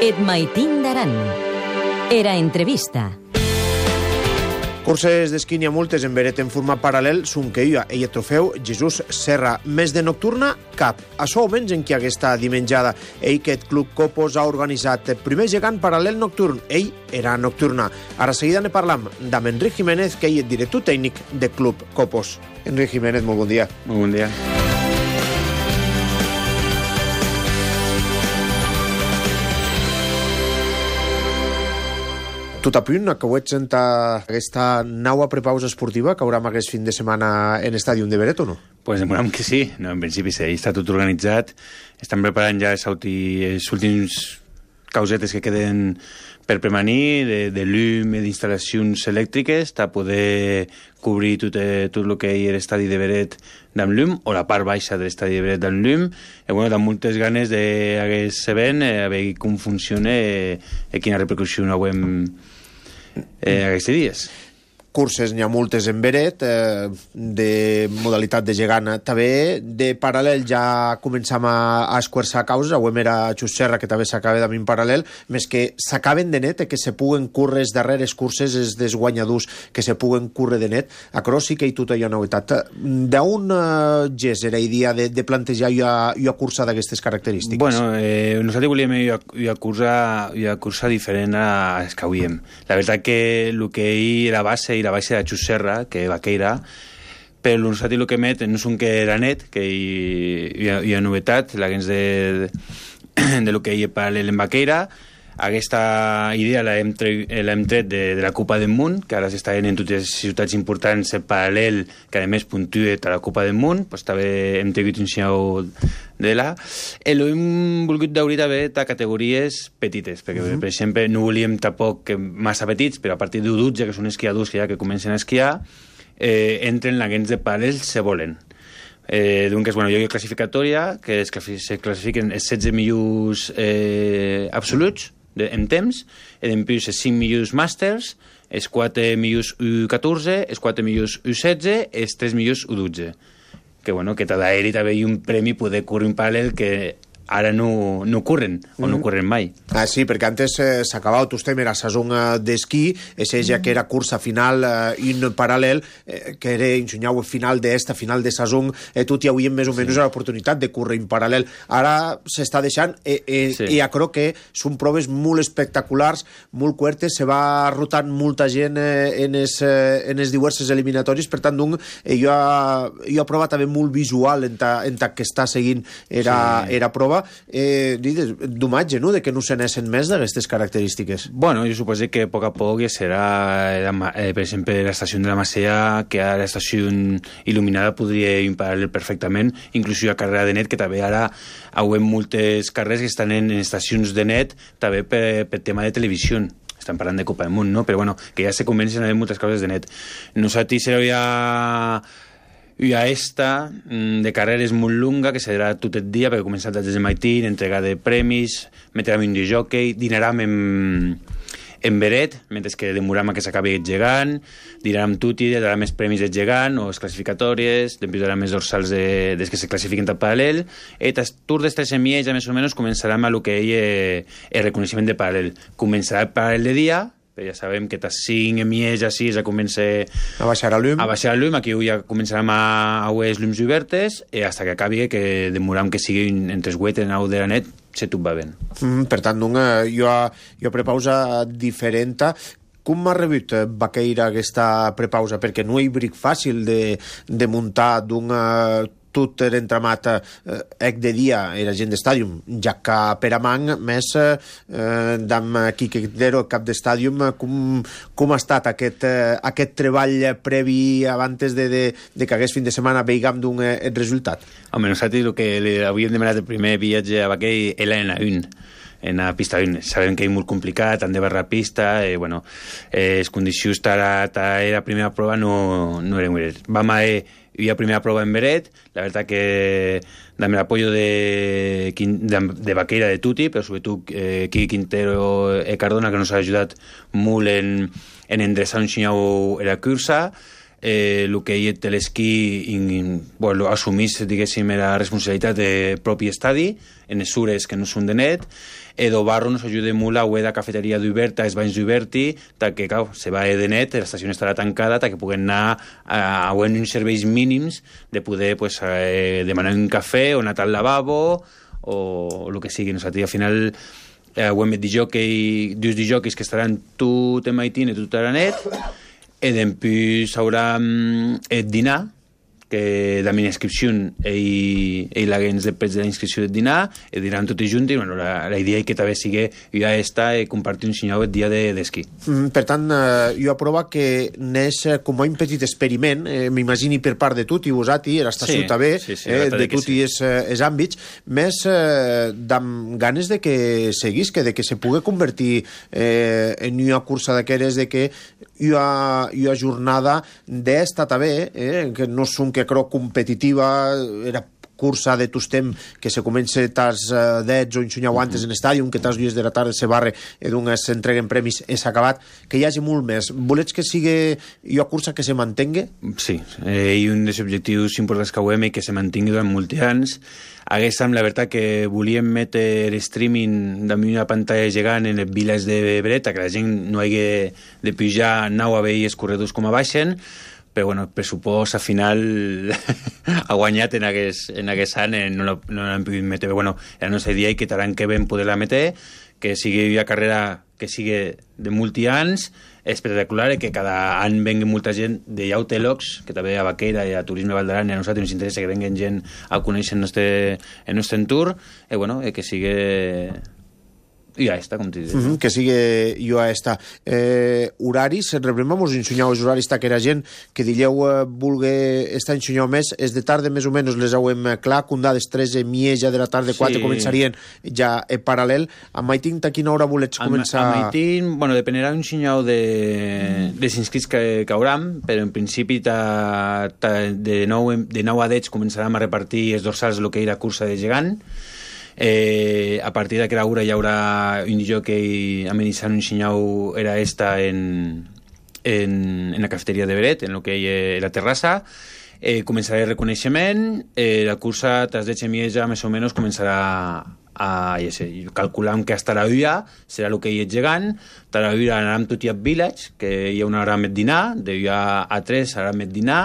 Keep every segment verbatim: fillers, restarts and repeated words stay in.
Et maitin d'aran. Era entrevista. Curses d'esquí n'hi ha multes en veret en format paral·lel, son que ella, ella trofeu, Jesús Serra. Més de nocturna, cap. Açò almenys en qui aquesta dimenjada. Ell, aquest club Copos, ha organitzat el primer gegant paral·lel nocturn. Ell era nocturna. Ara seguida ne parlam d'amb Enric Jiménez, que ell és director tècnic de club Copos. Enric Jiménez, molt bon dia. Molt bon dia. Tot a punt, acabeu sent aquesta nova prepausa esportiva que haurà aquest fin de setmana en Estàdium de Beret, o no? Pues demorem que sí. No, en principi sí, està tot organitzat. Estan preparant ja els, els últims causetes que queden per premanir, de, de llum i d'instal·lacions elèctriques, per poder cobrir tot, eh, tot el que hi ha l'estadi de Beret d'en llum, o la part baixa de l'estadi de Beret d'en llum. I bueno, amb moltes ganes d'aquest event, eh, a veure com funciona eh, i quina repercussió haurem eh, aquests dies. Curses n'hi ha moltes en Beret, eh, de modalitat de gegant també. De paral·lel ja començam a, a esquarçar causes. Avui era Xus Serra, que també s'acaba d'ami en paral·lel, més que s'acaben de net, eh, que se puguen córrer les darreres curses, els dels guanyadors, que se puguen córrer de net. A Cros sí que hi tot hi ha novetat. D'on eh, gest era idea de, de plantejar i a cursa d'aquestes característiques? Bueno, eh, nosaltres volíem i a cursa, i a cursa diferent a les que hauríem. La veritat que el que hi era base i la baixa de Xus Serra, que vaqueira, però nosaltres el que met no és un que era net, que hi, hi, ha, hi ha novetat, la gens de, de, de lo que hi ha paral·lel en vaqueira. Aquesta idea l'hem tret de, de la Copa del Món, que ara s'està en totes les ciutats importants en paral·lel, que a més puntua a la Copa del Món, pues també hem tingut un xau de la. I l'hem volgut d'obrir també a categories petites, perquè, uh-huh. per exemple, no volíem tampoc massa petits, però a partir d'un dotze, que són esquiadors que ja que comencen a esquiar, eh, entren la gens de paral·lel se volen. Eh, doncs, bueno, hi ha classificatòria, que es classifiquen els setze millors eh, absoluts, de, en temps, i després els cinc millors màsters, els quatre millors U catorze, els quatre millors U setze, els tres millors U dotze. Que, bueno, que tot d'aeri també hi ha un premi poder córrer un paral·lel que ara no, no corren, o no corren mai. Ah, sí, perquè antes eh, s'acabava tot tema la saison eh, d'esquí, és ja que era cursa final eh, i un paral·lel, eh, que era ensenyau final d'esta, final de saison, eh, tot hi hauríem més o menys sí. l'oportunitat de córrer en paral·lel. Ara s'està deixant, eh, eh, sí. i ja crec que són proves molt espectaculars, molt cuertes, se va rotant molta gent eh, en les eh, diverses eliminatòries, per tant, donc, eh, jo, jo he provat també molt visual en ta, en ta que està seguint era, sí. era prova. Eh, d'homatge, no?, de que no se n'essen més d'aquestes característiques. Bueno, jo suposo que a poc a poc serà, eh, per exemple, l'estació de la Macea, que ara l'estació il·luminada podria imparar perfectament, inclús a carrera de net, que també ara hi ha moltes carreres que estan en estacions de net, també per, per tema de televisió. Estan parlant de Copa del Món, no? Però bueno, que ja se comencen a haver moltes coses de net. Nosaltres seria hi ha esta de carreres molt lunga, que serà tot el dia, perquè començat des del matí, entregar de premis, metrem un jockey, dinarem en, en Beret, mentre que demorem que s'acabi el gegant, dinarem tutti, darà més premis del gegant, o les classificatòries, després darà més dorsals de, des que se classifiquen tot paral·lel, i el tour dels tres semilles, ja més o menys, començarem a lo que hi és el reconeixement de paral·lel. Començarà el paral·lel de dia, ja sabem que tas cinc mies així ja comença a baixar el llum, a baixar el llum, aquí ja començarem a veure els llums obertes i fins que acabi, que demorem que sigui entre els vuit en au de la net, se tot va bé. Mm, per tant, doncs, jo, jo prepausa diferent. Com m'ha rebut Vaqueira aquesta prepausa? Perquè no hi bric fàcil de, de muntar d'un tot l'entramat eh, de dia era gent d'estàdium, ja que per amant més eh, d'am Quique Quintero, cap d'estàdium, com, com ha estat aquest, eh, aquest treball previ abans de, de, de que hagués fin de setmana veigam d'un eh, resultat? Home, nosaltres el que havíem demanat el primer viatge a Vaquell era en la un, en la pista un. Sabem que és molt complicat, han de barrar pista, i bueno, eh, les condicions de la primera prova no, no eren bones. Vam a hi ha primera prova en Beret, la veritat que amb l'apoyo de, de, de Vaqueira de Tuti, però sobretot eh, Quique Quintero i Cardona, que nos ha ajudat molt en, en endreçar un xinyau en la cursa. eh, el que hi té l'esquí bueno, assumís, diguéssim, la responsabilitat de propi estadi, en les sures que no són de net, Edo Barro nos ajuda molt a la cafeteria d'Uberta, els banys d'Uberti, que, clar, se va de net, l'estació estarà tancada, que puguen anar a, a uns serveis mínims de poder pues, eh, demanar un cafè o anar al lavabo o el que sigui. Nosaltres, al final, eh, ho hem dit jockey, dos jockeys que estaran tot en maitín i tot a la net, i després haurà el dinar, que de la inscripció i, i la gens després de la inscripció del dinar i diran tots junts i bueno, la, la idea és que també sigui ja està i compartir un senyor el dia d'esquí. De, mm, per tant, eh, jo aprova que n'és com un petit experiment, eh, m'imagini per part de tot i vosaltres, l'estació sí, també, sí, sí, eh, de tots sí. i els, els àmbits, més eh, amb ganes de que seguís, que de que se pugui convertir eh, en una cursa d'aquelles de que hi ha, hi ha jornada d'esta també, eh, que no són que crec competitiva, era cursa de tostem que se comença tars uh, dets o insunyau antes en estàdium, que tars dues de la tarda se barre i d'un s'entreguen premis és acabat, que hi hagi molt més. Volets que sigui una cursa que se mantingui? Sí, eh, i un dels objectius importants que ho hem i que se mantingui durant molts anys. Haguéssim, la veritat, que volíem metre streaming damunt una pantalla gegant en les viles de Breta, que la gent no hagi de pujar nau a veure els corredors com a baixen, però bueno, el pressupost al final ha guanyat en aquest, en aquest any, no l'hem pogut metre. Però bueno, la nostra idea és que l'any que vam poder-la metre, que sigui una carrera que sigui de multi-anys, espectacular, i que cada any vengui molta gent de Yautelox, que també a Baqueira i a Turisme Val d'Aran, i a nosaltres ens interessa que venguen gent a conèixer el nostre, el nostre entorn, i bueno, que sigui... i ja està, com t'hi dius. Mm -hmm, que sigui jo ja està. Eh, horaris, rebremamos ensenyau els horaris que era gent que dilleu eh, vulgui estar ensenyau més, és de tarda més o menys les hauem clar, cundà des tres i mitja de la tarda, quatre sí. Començarien ja en paral·lel. A Maitín, a quina hora volets començar? A, a Maitín, bueno, dependerà un senyau de, de inscrits que, que hauram, però en principi ta, ta, de, nou, de nou a deu començarem a repartir els dorsals el que era cursa de gegant. Eh, a partir d'aquella hora hi haurà un jockey amenitzant un senyau era esta en, en, en la cafeteria de Beret, en el que hi ha la terrassa. Eh, començarà el reconeixement, eh, la cursa tras de Chemieja més o menys començarà a, ja sé, calculant que hasta la uia serà el que hi ha gegant, a la uia anarem tot i a Village, que hi ha una hora més dinar, de uia a tres serà més dinar.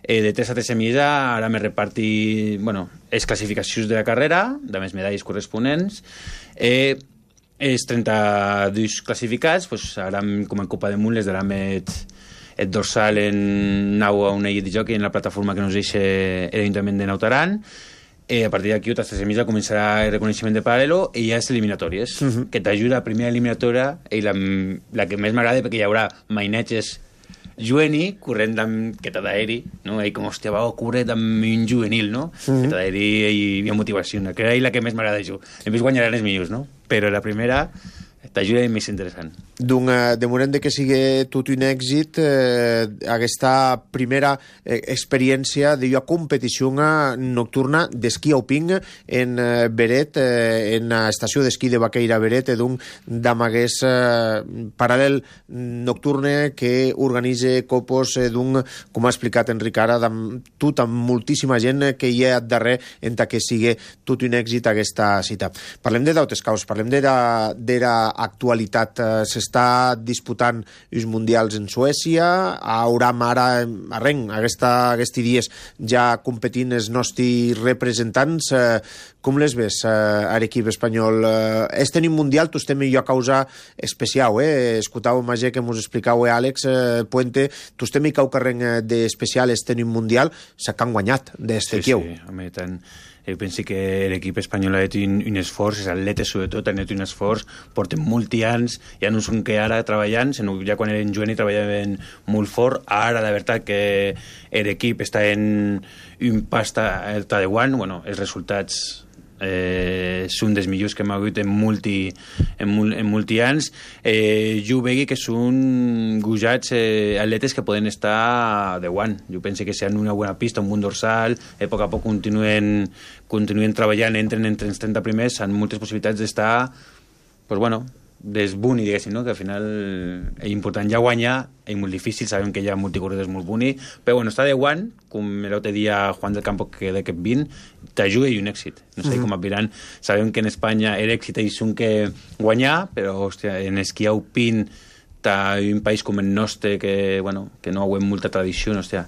Eh, de tres a tres mitja ara me reparti bueno, les classificacions de la carrera, de més medalles corresponents. Eh, els trenta-dos classificats, pues, ara com en Copa de Munt les darà met el dorsal en nau a una de jockey en la plataforma que nos deixa l'Ajuntament de Nautaran. Eh, a partir d'aquí, a tres mitja començarà el reconeixement de paral·lelo i ja és eliminatòries, uh -huh. que t'ajuda a la primera eliminatòria i la, la que més m'agrada perquè hi haurà mainetges juvenil, corrent amb queta d'aeri, no? I com, hòstia, va, corre amb un juvenil, no? Mm-hmm. Queta d'aeri i, i motivació, no? Que és la que més m'agrada jo. A més guanyaran els millors, no? Però la primera t'ajuda i més interessant. Doncs, de moment de que sigui tot un èxit, eh, aquesta primera eh, experiència de competició nocturna d'esquí alpin en eh, Beret, eh, en l'estació d'esquí de Baqueira Beret, d'un d'amagués eh, paral·lel nocturne que organitza copos eh, d'un, com ha explicat Enric ara, amb tot, amb moltíssima gent que hi ha darrere en que sigui tot un èxit aquesta cita. Parlem de d'altres causes, parlem de l'actualitat. Eh, s'està disputant els mundials en Suècia, hauram ara arrenc, aquesta, aquests dies ja competint els nostres representants. Eh, com les ves eh, a l'equip espanyol? Eh, este ni mundial tu estem jo a causa especial, eh? Escoltau Magé que mos explicau eh, Àlex eh, Puente, tu estem i cau carreng d'especial este ni mundial, s'ha que han guanyat d'este sí, quieu. Sí, home, tant. Jo penso que l'equip espanyol ha fet un, un esforç, els atletes sobretot han fet un esforç, porten molts anys, ja no són que ara treballant, sinó ja quan eren jovents treballaven molt fort. Ara, la veritat, que l'equip està en un pasta alta de guant, bueno, els resultats eh, són dels millors que hem hagut en multi, en, mul, en multi anys. Eh, jo vegi que són gujats eh, atletes que poden estar de guant. Jo penso que si han una bona pista, un bon dorsal, eh, a poc a poc continuen, continuen treballant, entren entre els trenta primers, han moltes possibilitats d'estar, pues bueno, des buni, diguéssim, no? Que al final és important ja guanyar, és molt difícil, sabem que hi ha multicorredors molt buni, però bueno, està de guany, com l'altre dia Juan del Campo, que de aquest vint, t'ajuda i un èxit. No sé mm. com apiran. Sabem que en Espanya l'èxit és un que guanyar, però, hòstia, en esquí alpin, un país com el nostre, que, bueno, que no ha molta tradició, hòstia,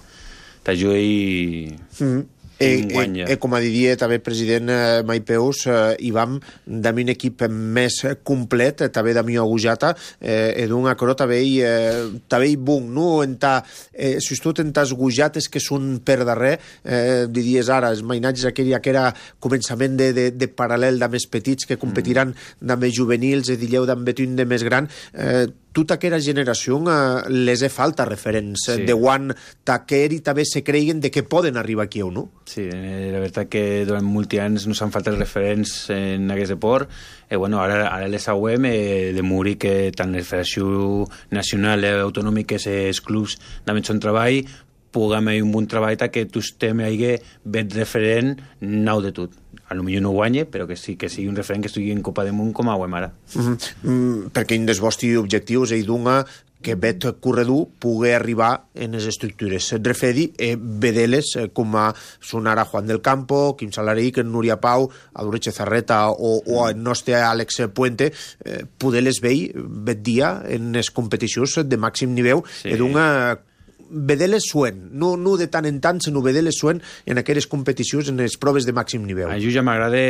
t'ajuda i... Mm. E, e, e com a diria també el president eh, Maipeus, eh, i vam d'ami un equip més complet, eh, també d'ami agujata, eh, e d'un acro també eh, també bun, no? Enta, eh, sobretot en tas gujates que són per darrer, eh, diries ara, els mainatges aquell que era començament de, de, de paral·lel de més petits que competiran mm. de més juvenils, e dilleu d'en betun de més gran, eh, tota aquella generació eh, les he falta referents sí. de quan taquer i també se creien de que poden arribar aquí o no. Sí, la veritat que durant molts anys no s'han faltat referents en aquest esport. Eh, bueno, ara, ara les sabem eh, de morir que tant la Federació Nacional eh, Autonòmica que els clubs també són treball, puguem fer un bon treball que tu estem ahí ben referent nou de tot. A lo millor no guanye, però que sí que sigui un referent que estigui en Copa del Món com a guem ara. Mm-hmm. Mm, perquè un dels vostres objectius és donar que bet corredor pugui arribar en les estructures. Refedi, eh, vedeles eh, com a són ara Juan del Campo, Quim Salaric, Núria Pau, Adureche Zarreta o, o el nostre Àlex Puente, eh, poder-les veure bet dia en les competicions de màxim nivell sí. i d'una vedeles suen, no, no de tant en tant, sinó vedeles suen en aquelles competicions, en les proves de màxim nivell. A mi ja m'agrada,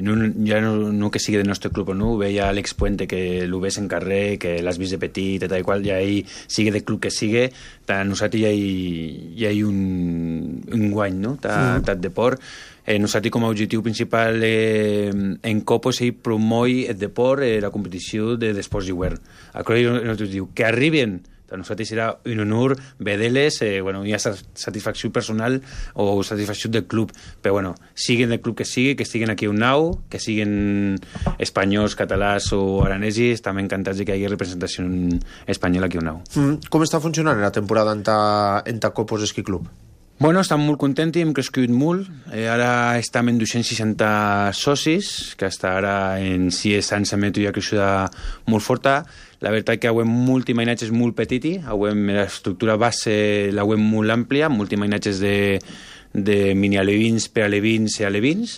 no, ja no, no que sigui del nostre club, no? Veia Àlex Puente, que l'ho ves en carrer, que l'has vist de petit, i tal i qual, ja ell, sigui de club que sigui, a nosaltres ja hi, ja hi ha un, un guany, no? Tant mm. deport. Eh, nosaltres com a objectiu principal eh, en Copos ell promoi el deport, eh, la competició de d'esports d'hivern. Això nosaltres diu, que arriben a nosaltres serà un honor veure-les, eh, bueno, hi ha satisfacció personal o satisfacció del club, però bueno, siguin del club que sigui, que estiguen aquí un nau, que siguin espanyols, catalans o aranesis, també encantats de que hi hagi representació espanyola aquí un nau. Mm, com està funcionant la temporada en ta, en ta Copos Esquí Club? Bueno, estem molt contents, hem crescut molt. Eh, ara estem en dos-cents seixanta socis, que fins ara en sis anys i mig ja ha crescut molt forta. La veritat que avem multimainatges molt petiti, avem l'estructura base l'avem molt àmplia, multimainatges de, de mini-alevins, prealevins i alevins.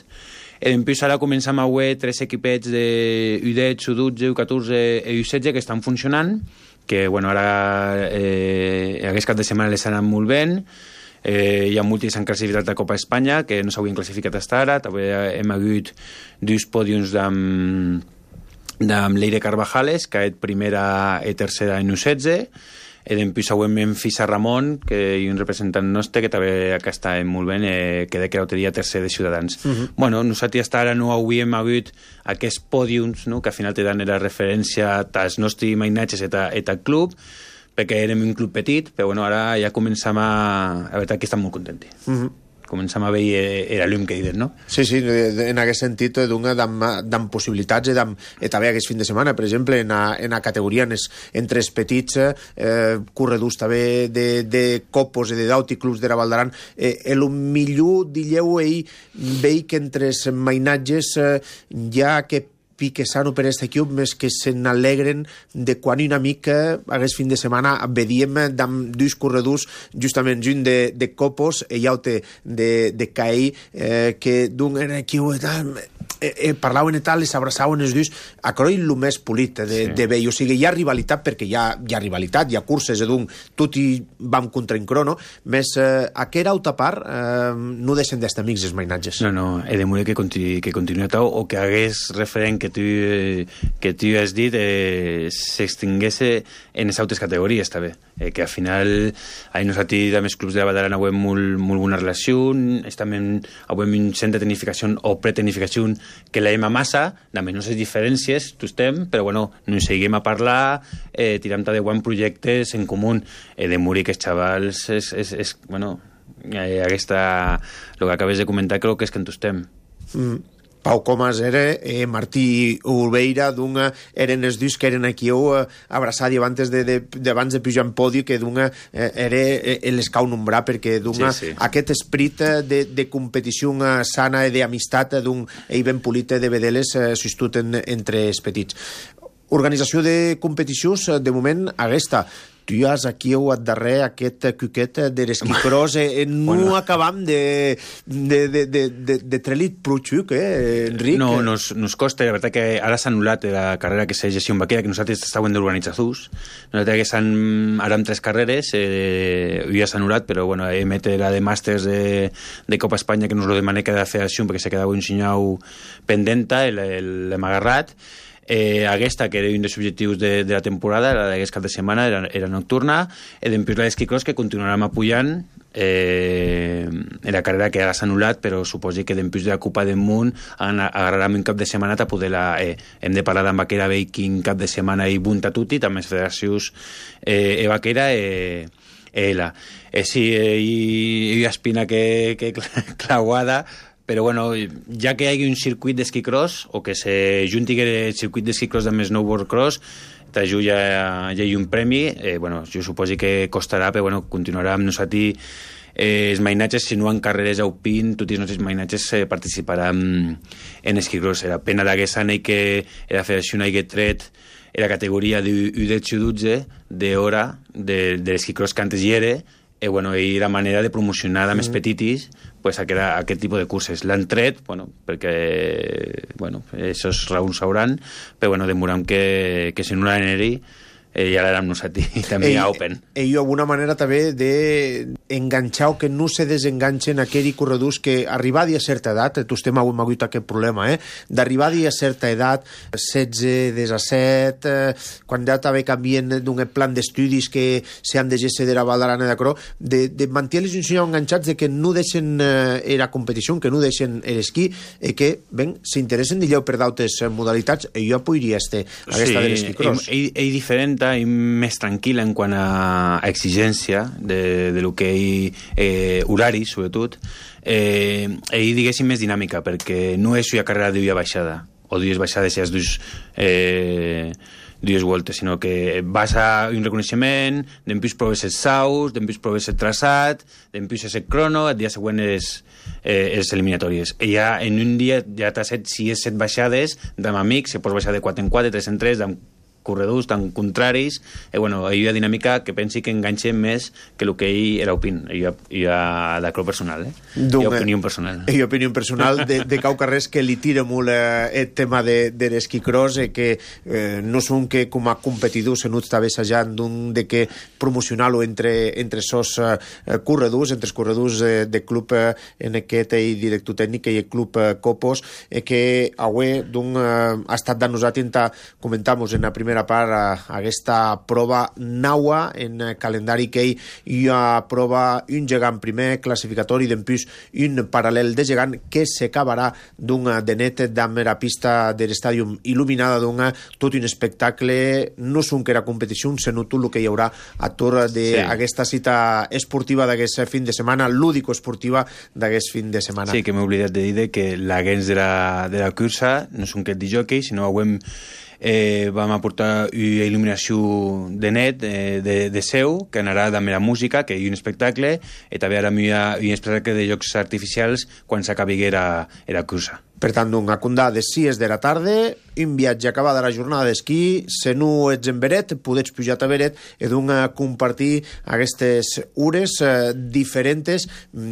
I després ara comencem a haver tres equipets de U dotze, U dotze, U catorze i U setze que estan funcionant, que bueno, ara eh, aquest cap de setmana les han anat molt bé. Eh, hi ha molts que s'han classificat a Copa Espanya, que no s'havien classificat fins ara. També hem hagut dos pòdiums amb amb Leire Carvajales, que és primera i tercera en U setze, i després hem Fisa Ramon, que és un representant nostre, que també acá està molt bé, eh, que de que l'altre dia tercer de Ciutadans. Uh -huh. Bueno, nosaltres fins ara no havíem hagut aquests pòdiums, no?, que al final te dan la referència als nostres mainatges i al club, perquè érem un club petit, però bueno, ara ja començam a... La veritat que estem molt contents. Uh -huh. Començam a veure era llum que diuen, no? Sí, sí, en aquest sentit d'una d'amb possibilitats i, i també aquest fin de setmana, per exemple, en la, en la categoria en es, entre els petits eh, corredors també de, de Copos i de Dauti, clubs de la Valdaran, eh, el millor, dilleu, ell veig que entre els mainatges eh, hi ha aquest pique sano per aquest equip, més que se n'alegren de quan una mica aquest fin de setmana vedíem amb dos corredors, justament un de, de Copos i l'altre de, de Caí, eh, que d'un equip eh, eh, parlaven i tal, les abraçaven els dos, a Croi el més polit de, sí. de veure, o sigui, hi ha rivalitat perquè hi ha, hi ha rivalitat, hi ha curses, d'un tot i vam contra en crono, més eh, aquest altra part eh, no deixen d'estar amics els mainatges. No, no, he de morir que continui, que continui tal, o que hagués referent que tu, que tu has dit eh, s'extingués en les altres categories també, eh, que al final a nosaltres amb els clubs de la Valdaran avui molt, molt bona relació, també avui un centre de tecnificació o pretecnificació que la hem a massa, també no sé diferències, tu estem, però bueno, no ens seguim a parlar, eh, tirem de bons projectes en comú, eh, de morir que els xavals és, és, és bueno, eh, aquesta, el que acabes de comentar crec que és que en tu estem. Mm. Pau Comas era, eh, Martí Olveira, d'una, eren els dos que eren aquí eh, abraçats abans de, de, de, de pujar en podi, que d'una eh, era eh, l'escau nombrar, perquè d'una sí, sí. aquest esperit de, de competició sana i d'amistat d'un ell ben polit de vedeles eh, sostut en, entre els petits. Organització de competicions, de moment, aquesta. Tu has aquí al darrer aquest cuquet de l'esquicròs eh, no bueno. acabam de, de, de, de, de, de treure-li prou eh, Enric? No, nos, nos costa, la veritat que ara s'ha anul·lat la carrera que s'ha gestió en Baquera, que nosaltres estàvem d'organitzadors. Nosaltres que s'han, ara amb tres carreres, eh, ja s'ha anul·lat, però bueno, hem fet la de màsters de, de Copa Espanya, que nos lo demané cada federació, perquè se quedava un senyau pendenta, l'hem agarrat. Eh, aquesta, que era un dels objectius de, de la temporada, la d'aquest cap de setmana, era, era nocturna, i després la d'esquicròs, que continuarem apujant, eh, en la carrera que ara s'ha anul·lat, però suposi que després de la Copa del Món agarrarem un cap de setmana a poder la... Eh, hem de parlar amb Baquera, veure quin cap de setmana hi bunta tutti, també les federacions eh, e Baquera, eh, ela. Eh, sí, eh, hi, hi ha espina que, que clauada, però bueno, ja que hi hagi un circuit d'esquicròs o que se junti el circuit d'esquicròs amb snowboard cross, t'ajuda ja, ja hi ha un premi, eh, bueno, jo suposo que costarà, però bueno, continuarà amb nosaltres eh, els mainatges, si no en carreres a Upin, tots els nostres mainatges eh, participaran en esquicròs. Era pena d'aquest any que la federació hagi tret la categoria d'u dotze dotze d'hora de, de l'esquicròs que antes hi era, i bueno, hi era manera de promocionar a més petitis pues, aquest, aquest tipus de curses. L'han tret, bueno, perquè bueno, aquests raons sauran, però bueno, demorem que, que si no l'aneri eh, ja l'érem nosaltres també a Open. I alguna manera també d'enganxar o que no se desenganxen aquells corredors que arribar a certa edat, tu estem avui m'ha aquest problema, eh? d'arribar a certa edat, setze, disset, eh, quan ja també canvien d'un plan d'estudis que s'han de gestir de la Valdarana de Cro, de, de mantenir-los un senyor enganxats de que no deixen eh, la competició, que no deixen l'esquí, i que, ben, s'interessen d'allò per d'altres modalitats, i jo podria estar aquesta sí, de l'esquí cross. Sí, és diferent i més tranquil·la en quant a exigència de, de lo que hi eh, horari, sobretot, eh, i diguéssim més dinàmica, perquè no és una carrera de dues baixada, o dues baixades i dues eh, dues voltes, sinó que vas a un reconeixement, després proves els saus, després proves el traçat, després és el crono, el dia següent és eh, les eliminatòries. I ja en un dia ja t'has set sis set baixades d'amb amics, se pots baixar de quatre en quatre, tres en tres, d'amb corredors tan contraris, i bueno, hi ha dinàmica que pensi que enganxem més que el que hi era opin, hi ha, hi ha d'acro personal, eh? Hi ha opinió personal. Hi ha opinió personal de, de cau carrers que li tira molt eh, el tema de, de l'esquicròs, eh, que eh, no són que com a competidors en està assajant d'un de que promocionar-lo entre, entre sos eh, corredors, entre els corredors eh, de club eh, en aquest i director tècnic i el club eh, Copos, eh, que avui d'un eh, ha estat de nosaltres comentamos en la primera part a aquesta prova naua en calendari que hi ha prova un gegant primer classificatori, després un paral·lel de gegant que s'acabarà d'un de net d'amb la pista de l'estàdium il·luminada d'un tot un espectacle, no són que era competició, sinó tot el que hi haurà a torn d'aquesta sí. cita esportiva d'aquest fin de setmana, lúdico-esportiva d'aquest fin de setmana. Sí, que m'he oblidat de dir que la gens de la, de la cursa no són que de jockey, sinó que Eh, vam aportar una il·luminació de net eh, de, de seu, que anarà amb la música, que hi ha un espectacle, i també ara hi ha un espectacle de jocs artificials quan s'acabi la, la cursa. Per tant, un acundà de sis de la tarda, un viatge acabada la jornada d'esquí, si no ets en Beret, podets pujar a Beret i d'un compartir aquestes hores eh, diferents,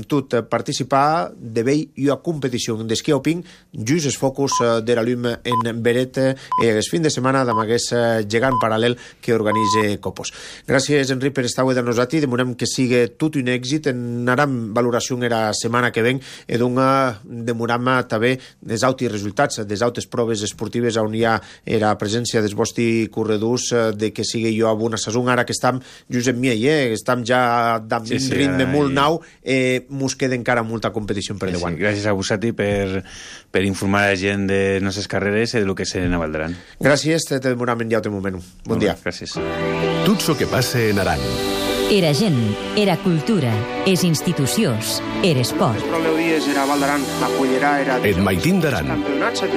tot participar de vell i a competició d'esquí alpin, just els focus eh, de la llum en Beret i eh, el fin de setmana amb aquest eh, gegant paral·lel que organitza Copos. Gràcies, Enric, per estar avui de nosaltres, demorem que sigui tot un èxit, anarem valoració en la setmana que ven i d'un demorem també des altres resultats, des altres proves esportives on hi ha la presència dels vostres corredors, de que sigui jo a una saison, ara que estem just en mi, eh? estem ja d'un sí, sí, ritme molt nou, eh, mos queda encara molta competició per davant. Sí, gràcies a vosaltres per, per informar a la gent de les nostres carreres i del que se n'avaldaran. Gràcies, te demorem en ja un moment. Bon Molt dia. Bé, gràcies. Tot el que passa en Aran. Era gent, era cultura, és institucions, era esport. Et Maitín d'Aran.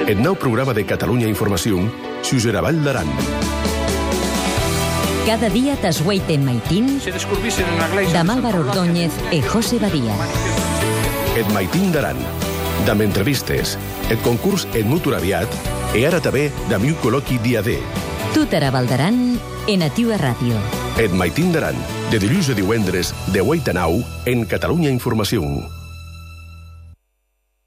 El nou programa de Catalunya Informació, s'usarà Vall d'Aran. Cada dia t'esgueiten Maitín, de Álvaro Ordóñez e José Badía. Et Maitín d'Aran. D'amb entrevistes, el concurs Et Mutur Aviat, i ara també d'amb un col·loqui dia D. Tutara Baldaran en Ativa Ràdio. Et maitin daran, de dilluns a divendres, de vuit a nou, en Catalunya Informació.